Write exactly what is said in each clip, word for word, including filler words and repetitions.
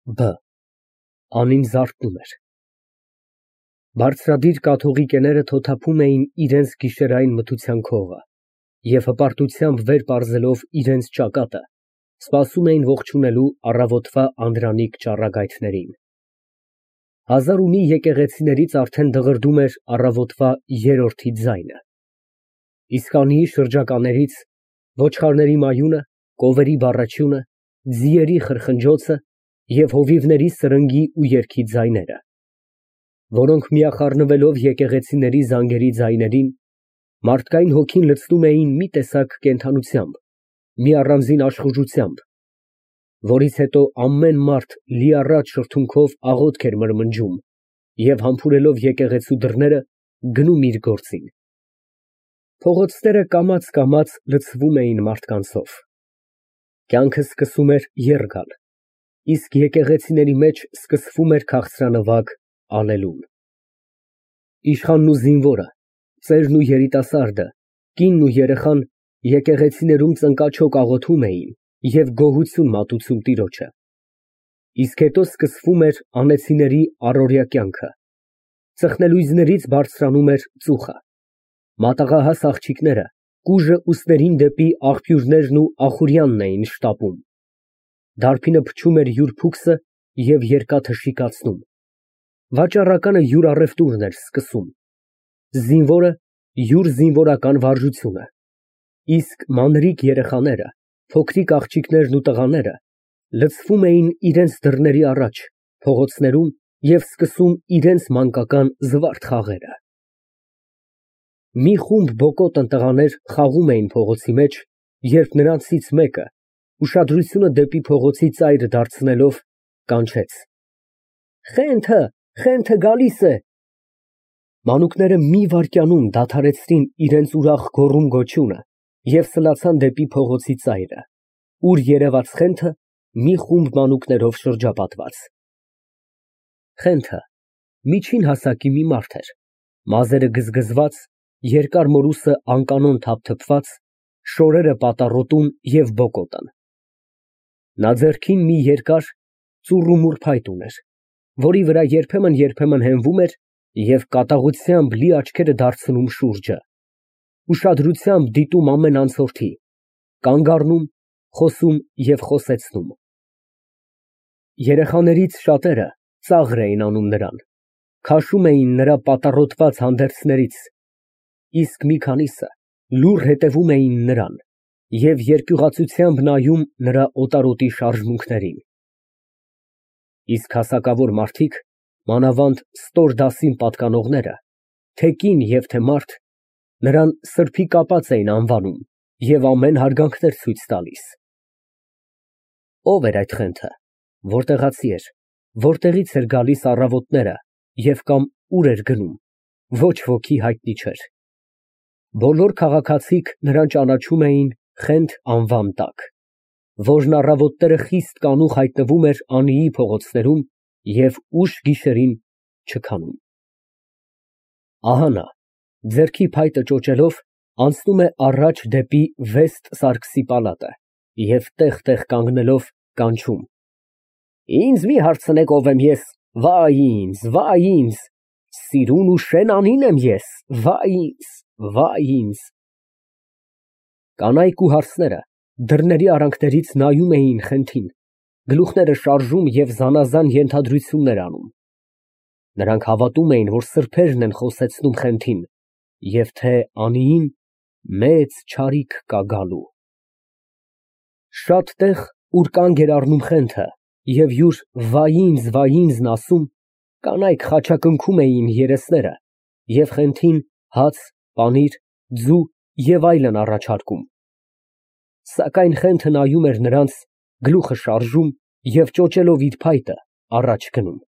Բ Անին զարթնում էր։ Բարձրադիր կաթողիկեները թոթափում էին իրենց գիշերային մթության քողը և հպարտությամբ վեր պարզելով իրենց ճակատը, սպասում էին ողջունելու առավոտվա անդրանիկ ճառագայթներին։ Հազար ու մի եկեղեցիներից արդեն դղրդում էր առավոտվա երրորդի ձայնը, իսկ անիի շրջականերից ոչխարների մայունը, կովերի բառաչյունը, ձիերի խրխնջոցը և հովիվների սրնգի ու երգի ձայները, որոնք միախառնվելով եկեղեցիների զանգերի ձայներին, մարդկային հոգին լցնում էին մի տեսակ կենդանությամբ, մի առանձին աշխուժությամբ, որից հետո ամեն մարդ լիառատ շրթունքով աղոթք էր մրմնջում և համբուրելով եկեղեցու դռները, գնում իր գործին։ Փողոցները կամաց֊կամաց լցվում էին մարդկանցով։ Կյանքը սկսում էր եռ գալ, իսկ եկեղեցիների մեջ սկսվում էր քաղցրանվագ ալելուն։ Իշխանն ու զինվորը, ծերն ու երիտասարդը, կինն ու երեխան եկեղեցիներում ծնկաչոք աղոթում էին և գոհություն մատուցում Տիրոջը, իսկ հետո սկսվում էր անեցիների առօրյա կյանքը, ծխնելույզներից բարձրանում էր ծուխը, մատաղահաս աղջիկները կուժը ուսերին դեպի աղբյուրներն ու Ախուրյանն էին շտապում, դարբինը փչում էր յուր փուքսը և երկաթը շիկացնում, վաճառականը յուր առևտուրն էր սկսում, զինվորը յուր զինվորական վարժությունը, իսկ մանրիկ երեխաները, փոքրիկ աղջիկներն ու տղաները լցվում էին իրենց դռների առաջ, փողոցներում և սկսում իրենց մանկական զվարթ խաղերը։ Մի խումբ բոկոտն տղաներ խաղում էին փողոցի մեջ, երբ նրանցից մեկը, ուշադրությունը դեպի փողոցի ծայրը դարձնելով, կանչեց. «Խենթը, Խենթը գալիս է»։ Մանուկները մի վայրկյանում դադարեցրին իրենց ուրախ գոռում֊գոչյունը և սլացան դեպի փողոցի ծայրը, ուր երևաց Խենթը մի խումբ մանուկներով շրջապատված։ Խենթը միջին հասակի մի մարդ էր, մազերը գզգզված, երկար մորուսը անկանոն թափթփված, շորերը պատառոտուն և բոկոտն։ Նա ձեռքին մի երկար ծուռումուռ փայտ ուներ, որի վրա երբեմն֊երբեմն հենվում էր և կատաղությամբ լի աչքերը դարձնում շուրջը, ուշադրությամբ դիտում ամեն անցորդի, կանգ առնում, խոսում և խոսեցնում։ Երեխաներից շատերը ծաղր էին անում նրան, քաշում էին նրա պատառոտված հանդերձներից, իսկ մի քանիսը լուռ հետևում էին նրան և երկյուղացությամբ նայում նրա օտարոտի շարժմունքներին։ Իսկ հասակավոր մարդիկ, մանավանդ ստոր դասին պատկանողները, թե կին և թե մարդ, նրան սրբի կապած էին անվանում և ամեն հարգանքներ ցույց տալիս։ Ո՞վ էր այդ Խենթը, որտեղացի էր, որտեղից էր գալիս առավոտները և կամ ուր էր գնում, ոչ ոքի հայտնի չէր։ Բոլոր քաղաքացիք նրան ճանաչում էին Խենթ անվան տակ, որն առավոտները խիստ կանուխ հայտնվում էր անիի փողոցներում և ուշ գիշերին չքանում։ Ահա նա, ձեռքի փայտը ճոճելով, անցնում է առաջ դեպի Վեստ Սարգսի պալատը և տեղ֊տեղ կանգնելով, կանչում. «Ինձ մի հարցնեք, ով եմ ես, վայ ինձ, վայ ինձ, սիրուն ու շեն անին եմ ես, վայ ինձ, վայ ինձ»։ Կանայք ու հարսները դռների արանքներից նայում էին Խենթին, գլուխները շարժում և զանազան ենթադրություններ անում։ Նրանք հավատում էին, որ սրբերն են խոսեցնում Խենթին և թե անիին մեծ չարիք կա գալու։ Շատ տեղ, ուր կանգ էր առնում Խենթը և յուր վայ ինձ, վայ ինձն ասում, կանայք խաչակնքում էին երեսները և Խենթին հաց, պանիր, ձու և այլն առաջարկում։ Սակայն Խենթը նայում էր նրանց, գլուխը շարժում և ճոճելով իր փայտը, առաջ գնում։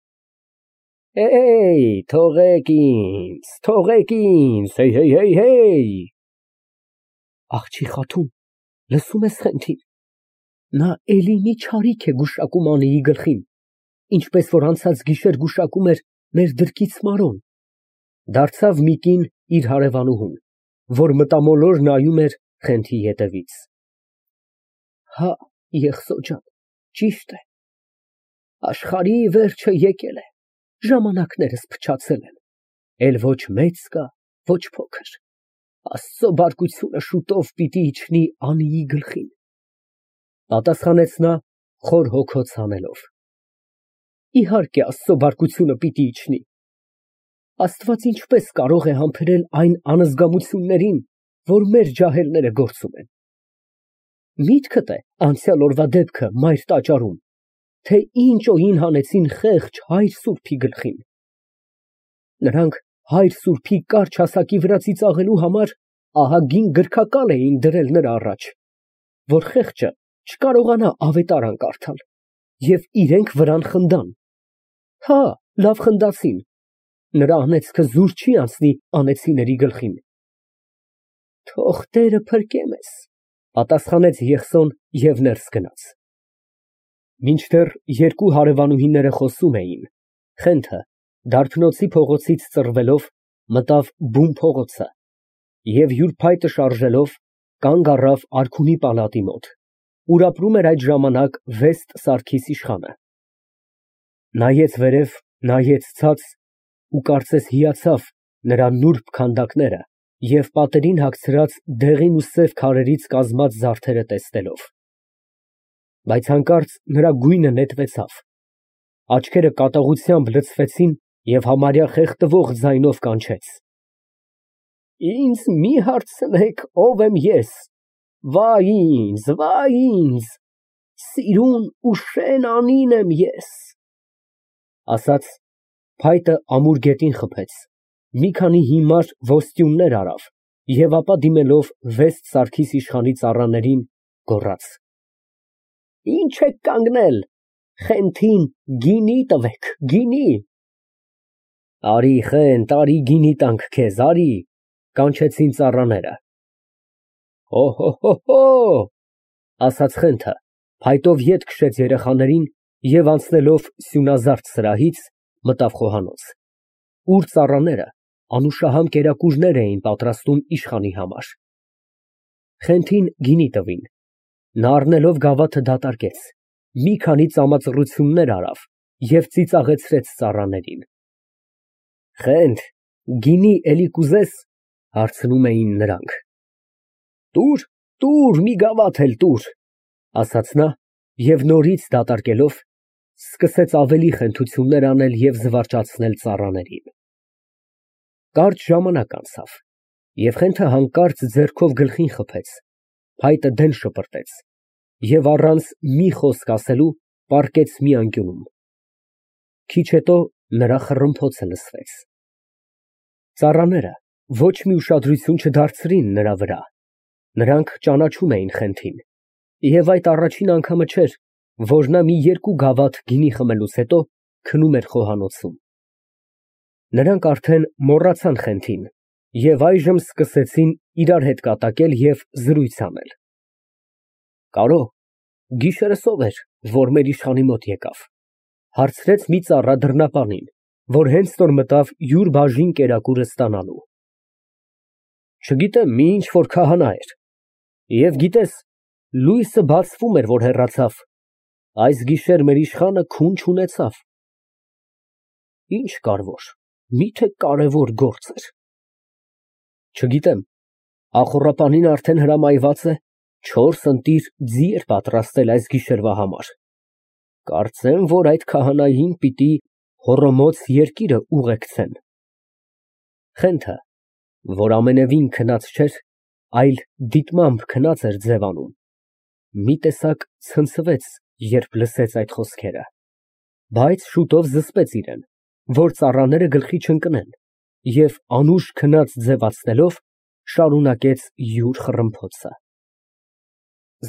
Թողեք ինձ, թողեք ինձ, հեյ։ Աղջի խաթուն, լսո՞ւմ ես Խենթին, նա էլի մի չարիք է գուշակում անիի գլխին, ինչպես որ անցած գիշեր գուշակում էր մեր դրկից Մարոն, դարձավ մի կին իր հարևանուհուն, որ մտամոլոր նայում էր Խենթի ետևից։ Հա, եղցո ջան, ճիշտ է։ Աշխարհի վերջը եկել է, ժամանակներս փչացել են, էլ ոչ մեծ կա, ոչ փոքր, Աստծո բարկությունը շուտով պիտի իջնի անիի գլխին, պատասխանեց նա խոր հոգոց հանելով։ Իհարկե Աստծո բարկությունը պիտի իջնի, Աստված ինչպես կարող է համբերել այն անզգամություններին, որ մեր ջահելները գործում են։ Միտքդ է անցյալ օրվա դեպքը մայր տաճարում, թե ինչ օին հանեցին խեղճ հայր սուրբի գլխին։ Նրանք հայր սուրբի կարճ հասակի վրա ծիծաղելու համար ահագին գրքակալ էին դրել նրա առաջ, որ խեղճը չկարողանա ավետարան կարդալ, և իրենք վրան խնդան։ Հա, լավ խնդացին, նրա անեծքը զուր չի անցնի անեծիների գլխին։ Թող Տերը փրկե մեզ, պատասխանեց Եղսոն և ներս գնաց։ Մինչդեռ երկու հարևանուհիները խոսում էին, Խենթը Դարբնոցի փողոցից ծռվելով մտավ բուն փողոցը և յուր փայտը շարժելով կանգ առավ արքունի պալատի մոտ, ուր ապրում էր այդ ժամանակ Վեստ Սարգիս իշխանը։ Նայեց վերև, նայեց ցած ու կարծես հիացավ նրա նուրբ քանդակները և պատերին հագցրած դեղին ու սև քարերից կազմած զարդերը տեսնելով։ Բայց հանկարծ նրա գույնը նետվեցավ, աչքերը կատաղությամբ լցվեցին և համարյա խեղդվող ձայնով կանչեց. Ինձ մի հարցնեք, ով եմ ես, վայ ինձ, վայ ինձ, սիրուն ու շեն անին եմ ես։ Ասաց, փայտը ամուր գետին խփեց, մի քանի հիմար ոսტյուններ արավ և ապա դիմելով Վեստ Սարգիս իշխանի ծառաներին, գոռաց. Ինչ եք կանգնել, Խենթին գինի տվեք, գինի։ Արի Խենթ, արի գինի տանք քեզ, արի, կանչեցին ծառաները։ Հո, ասաց Խենթը, փայտով ետ քշեց երեխաներին և անցնելով սյունազարդ սրահից, մտավ խոհանոց, ուր ծառաները անուշահամ կերակուրներ էին պատրաստում իշխանի համար։ Խենթին գինի տվին, նա առնելով գավաթը դատարկեց, մի քանի ծամածռություններ արավ և ծիծաղեցրեց ծառաներին։ Խենթ, գինի էլի կուզես, հարցնում էին նրանք։ Տուր, տուր, մի գավաթ էլ տուր, ասաց նա և նորից դատարկելով, սկսեց ավելի խենթություններ անել և զվարճացնել ծառաներին։ Կարճ ժամանակ անցավ, և Խենթը հանկարծ ձեռքով գլխին խփեց, փայտը դեն շպրտեց և առանց մի խոսք ասելու պառկեց մի անկյունում։ Քիչ հետո նրա խռմփոցը լսվեց։ Ծառաները ոչ մի ուշադրություն չդարձրին նրա վրա, նրանք ճանաչում էին Խենթին, և այդ առաջին անգամը չէր, որ նա մի երկու գավաթ գինի խմելուց հետո քնում էր խոհանոցում։ Նրանք արդեն մոռացան Խենթին և այժմ սկսեցին իրար հետ կատակել և զրույց անել։ Կարո՞, գիշերս ո՞վ էր, որ մեր իշխանի մոտ եկավ, հարցրեց մի ծառա դռնապանին, որ հենց նոր մտավ յուր բաժին կերակուրը ստանալու։ Չգիտեմ, մի ինչ֊որ քահանա էր, և գիտես, լույսը բացվում էր, որ հեռացավ, այս գիշեր մեր իշխանը քուն չունեցավ։ Ինչ կար որ, մի՞թե կարևոր գործ էր։ Չգիտեմ, ախոռապանին արդեն հրամայված է չորս ընտիր ձի էր պատրաստել այս գիշերվա համար։ Կարծեմ, որ այդ քահանային պիտի Հոռոմոց երկիրը ուղեկցեն։ Խենթը, որ ամենևին քնած չէր, այլ դիտմամբ քնած էր ձևանում, մի տեսակ ցնցվեց, երբ լսեց այդ խոսքերը, բայց շուտով զսպեց իրեն, որ ծառաները գլխի չընկնեն, և անուշ քնած ձևացնելով, շարունակեց յուր խռմփոցը։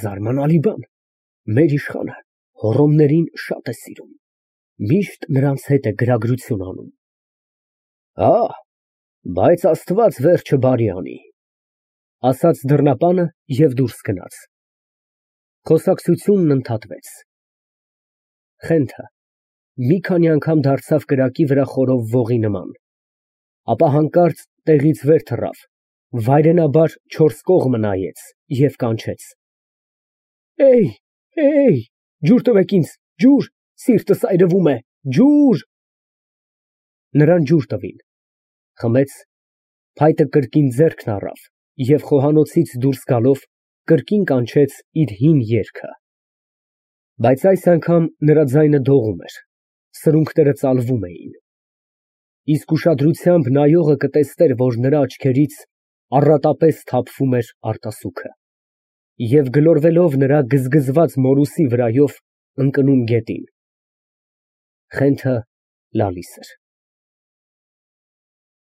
Զարմանալի բան, մեր իշխանը հոռոմներին շատ է սիրում, միշտ նրանց հետ է գրագրություն անում։ Հա, բայց Աստված վերջը բարի անի, ասաց դռնապանը և դուրս գնաց։ Խոսակցությունն ընդհատվեց։ Խենթը մի քանի անգամ դարձավ կրակի վրա խորով ողի նման, ապա հանկարծ տեղից վեր թռավ, վայրենաբար չորս կողմը նայեց և կանչեց. Էյ, էյ, ջուր տվեք ինձ, ջուր, Սիրտս այրվում է, ջուր։ Նրան ջուր տվին, խմեց, փայտը կրկին ձեռքն առավ և խոհանոցից դուրս գալով կրկին կանչեց իր հին երգը, բայց այս անգամ նրա ձայնը դողում էր, սրունքները ծալվում էին, իսկ ուշադրությամբ նայողը կտեսներ, որ նրա աչքերից առատապես թափվում էր արտասուքը և գլորվելով նրա գզգզված մորուսի վրայով ընկնում գետին։ Խենթը լալիս էր։